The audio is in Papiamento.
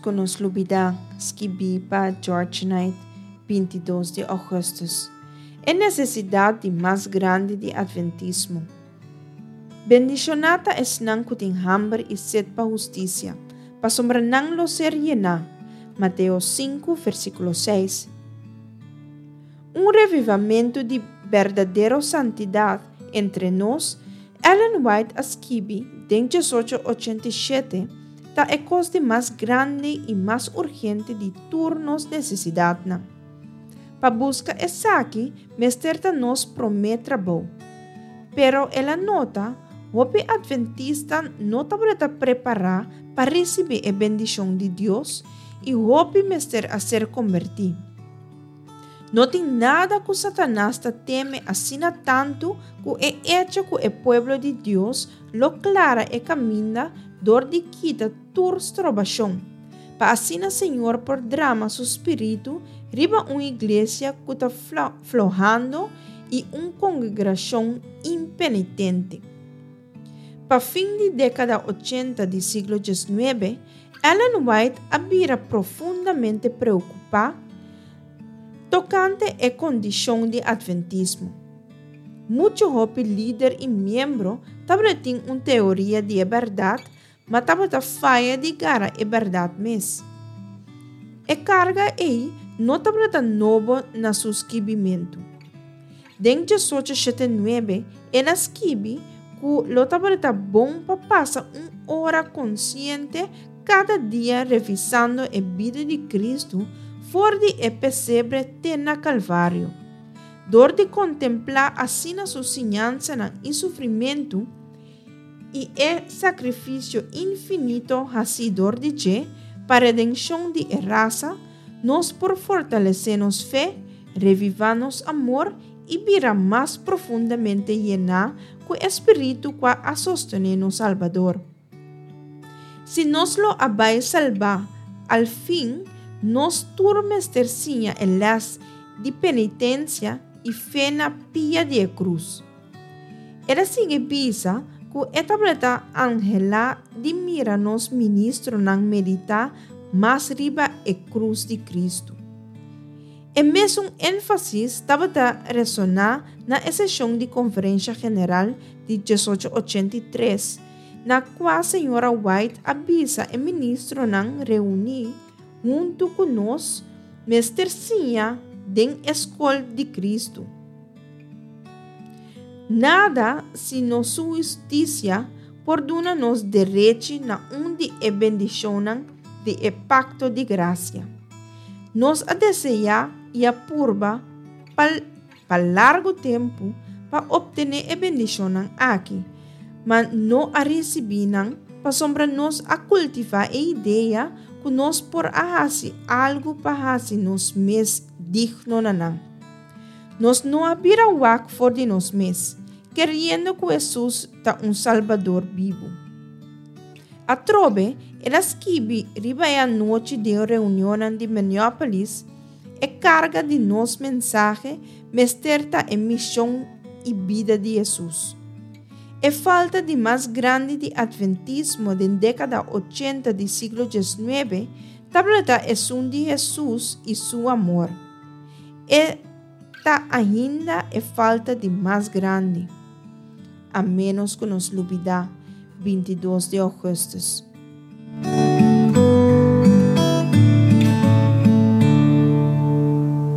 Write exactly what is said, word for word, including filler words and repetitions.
ku nos lubidá, skibí pa George Knight, binti dos di ougùstùs. E nesesidat di mas grandi di Atventismo. Bendishoná ta esnan ku tin hamber i set pa hustisia, pasobra nan lo ser yená. Mateo sinku, versíkulo seis. Un revivamentu di berdadero santidat entre nos, Ellen White a skibi den diesocho ochenta i shete, ta e kos di mas grandi i mas urgente di tur nos nesesidatnan. Pa buska esaki mester ta nos promé trabou. Pero el a nota, hopi adventista no tabata prepará pa risibí e bendishon di Dios i hopi mester a ser kombertí. No tin nada ku Satanas ta teme asina tantu ku e echo ku e pueblo di Dios lo klara e kaminda dor di kita tur strobashon, pa asina Señor por drama su spiritu riba un iglesia ku ta flohando i un kongregrashon impenitente. Pa fin di dékada ochenta di siglo diesnuebe, Ellen White a bira profundamente preokupá tokante e kondishon di Atventismo. Muchu hopi lider i miembro tabatin un teoria di e bèrdat, ma tabata faya di gara e bèrdat mes. E karga ei no tabata nobo na su skibimentu. Den diesocho shete nuebe el a skibi ku lo tabata bon pa pasa un ora konsiente kada dia revisando e bida di Kristu for di e pesebre te na Kalvario. Dor di kontemplá asina su siñansanan i sufrimentu i e sakrifisio infinito hasí dor di dje pa redenshon di e rasa, nos por fortalesé nos fe, revivá nos amor i bira mas profundamente yená ku e spiritu kua a sostené nos Salbador. Si nos lo a bai salbá, al fin nos tur mester siña e lès di penitensia i fe na pia di e krus. El a sigui bisa ku e tabata anhelá di mira nos ministronan meditá mas riba e krus di Kristu. E mesun énfasis tabata resoná na e seshon di Konferensha General di diesocho ochenta i tres, na kua señora White a bisa e ministronan reuní huntu ku nos mester siña den e skol di Kristu. Nada sino su hustisia por duna nos derechi na un di e bendishonnan di e pakto di grasia. Nos a deseá i a purba pa pa largu tempu pa optené e bendishonnan aki, ma no a risibí nan pasobra nos a kultivá e idea ku nos por a hasi algu pa hasi nos mes digno na nan. Nos no a bira wak for di nos mes, keriendo ku Hesus ta un Salbador bibu. Atrobe, el a skibi riba e anochi den reunionnan di Minneapolis, E karga di nos mensahe mester ta e mishon i bida di Hesus. E falta di mas grandi di Atventismo den dékada ochenta di siglo diesnuebe tabata esun di Hesus i su amor. E ta ainda e falta di mas grandi. A ménos ku nos lubidá, bintidos di ougùstùs.